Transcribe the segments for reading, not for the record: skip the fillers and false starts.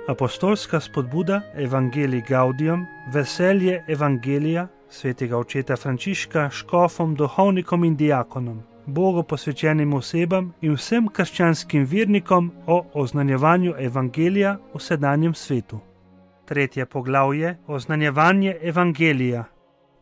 Apostolska spodbuda Evangelii Gaudium, veselje Evangelija svetega očeta Frančiška škofom, duhovnikom in diakonom, Bogu posvečenim osebam in vsem krščanskim vernikom o oznanjevanju Evangelija v sedanjem svetu. 3. poglavje Oznanjevanje Evangelija.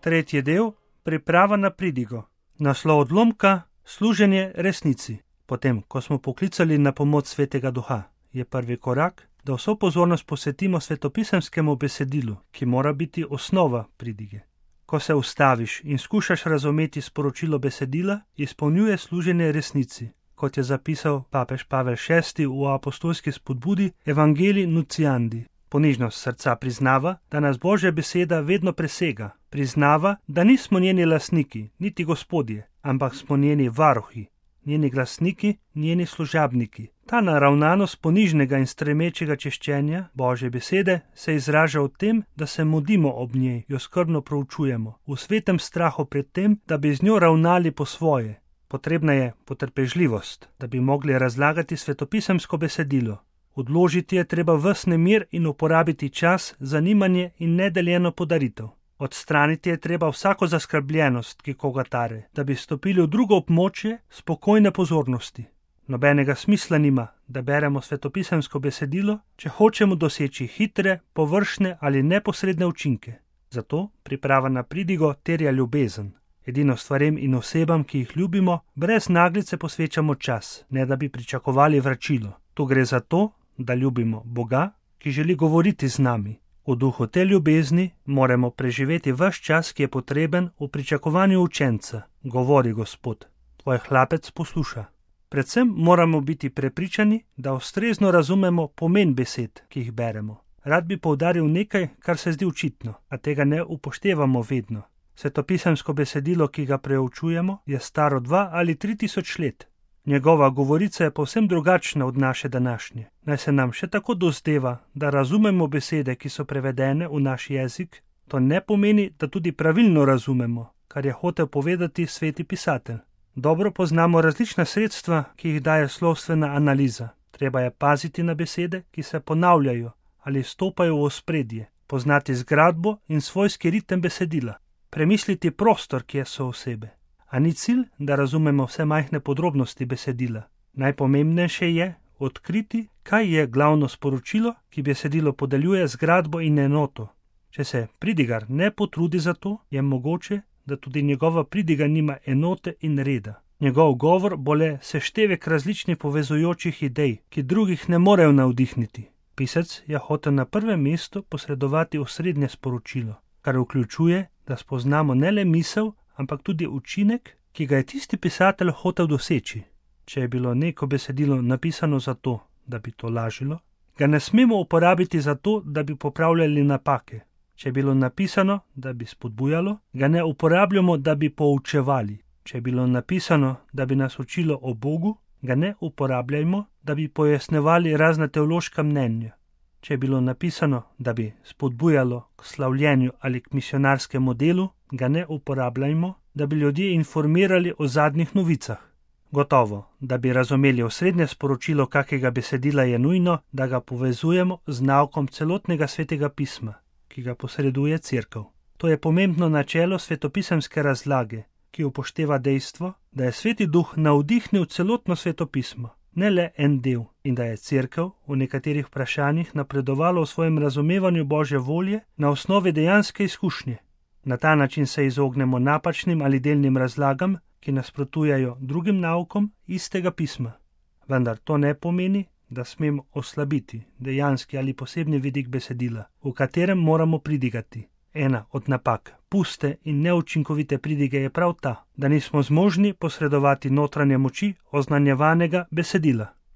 3. del Priprava na pridigo. Naslov odlomka Služenje resnici. Potem, ko smo poklicali na pomoč Svetega Duha, je prvi korak, da vso pozornost posvetimo svetopisemskemu besedilu, ki mora biti osnova pridige. Ko se ustaviš in skušaš razumeti sporočilo besedila, izpolnjuje služenje resnici, kot je zapisal papež Pavel VI v apostolski spodbudi Evangelii Nunciandi. Ponižnost srca priznava, da nas Božja beseda vedno presega. Priznava, da nismo njeni lastniki, niti gospodje, ampak smo njeni varuhi, njeni glasniki, njeni služabniki. Ta naravnanost ponižnega in stremečega češčenja Božje besede se izraža v tem, da se modimo ob njej, jo skrbno proučujemo, v svetem strahu pred tem, da bi z njo ravnali po svoje. Potrebna je potrpežljivost, da bi mogli razlagati svetopisemsko besedilo. Odložiti je treba ves nemir in uporabiti čas, zanimanje in nedeljeno podaritev. Odstraniti je treba vsako zaskrbljenost, ki koga tare, da bi stopili v drugo območje spokojne pozornosti. Nobenega smisla nima, da beremo svetopisemsko besedilo, če hočemo doseči hitre, površne ali neposredne učinke. Zato priprava na pridigo terja ljubezen. Edino stvarem in osebam, ki jih ljubimo, brez naglice posvečamo čas, ne da bi pričakovali vračilo. Tu gre za to, da ljubimo Boga, ki želi govoriti z nami. V duhu te ljubezni moramo preživeti ves čas, ki je potreben v pričakovanju učenca. Govori Gospod, tvoj hlapec posluša. Predvsem moramo biti prepričani, da ustrezno razumemo pomen besed, ki jih beremo. Rad bi poudaril nekaj, kar se zdi očitno, a tega ne upoštevamo vedno. Svetopisemsko besedilo, ki ga preučujemo, je staro 2 ali 3 tisoč let. Njegova govorica je povsem drugačna od naše današnje. Naj se nam še tako dozdeva, da razumemo besede, ki so prevedene v naš jezik, to ne pomeni, da tudi pravilno razumemo, kar je hotel povedati sveti pisatelj. Dobro poznamo različna sredstva, ki jih daje slovstvena analiza. Treba je paziti na besede, ki se ponavljajo ali stopajo v ospredje, poznati zgradbo in svojski ritem besedila, premisliti prostor, kjer so osebe. A ni cilj, da razumemo vse majhne podrobnosti besedila. Najpomembnejše je odkriti, kaj je glavno sporočilo, ki besedilo podeljuje zgradbo in enoto. Če se pridigar ne potrudi za to, je mogoče, da tudi njegova pridiga nima enote in reda. Njegov govor bo le seštevek različnih povezujočih idej, ki drugih ne morejo navdihniti. Pisec je hotel na prvem mestu posredovati osrednje sporočilo, kar vključuje, da spoznamo ne le misel, ampak tudi učinek, ki ga je tisti pisatelj hotel doseči. Če je bilo neko besedilo napisano zato, da bi to lažilo, ga ne smemo uporabiti zato, da bi popravljali napake. Če je bilo napisano, da bi spodbujalo, ga ne uporabljamo, da bi poučevali. Če je bilo napisano, da bi nas učilo o Bogu, ga ne uporabljajmo, da bi pojasnevali razna teološka mnenja. Če je bilo napisano, da bi spodbujalo k slavljenju ali k misionarskemu delu, ga ne uporabljajmo, da bi ljudje informirali o zadnjih novicah. Gotovo, da bi razumeli osrednje sporočilo kakega besedila, je nujno, da ga povezujemo z naukom celotnega svetega pisma, ki ga posreduje Cerkev. To je pomembno načelo svetopisemske razlage, ki upošteva dejstvo, da je Sveti Duh navdihnil celotno svetopismo, ne le en del, in da je Cerkev v nekaterih vprašanjih napredovala v svojem razumevanju Božje volje na osnovi dejanske izkušnje. Na ta način se izognemo napačnim ali delnim razlagam, ki nasprotujejo drugim naukom istega pisma. Vendar to ne pomeni, da smemo oslabiti dejanski ali posebni vidik besedila, v katerem moramo pridigati. Ena od napak puste in neučinkovite pridige je prav ta, da nismo zmožni posredovati notranje moči oznanjevanega besedila.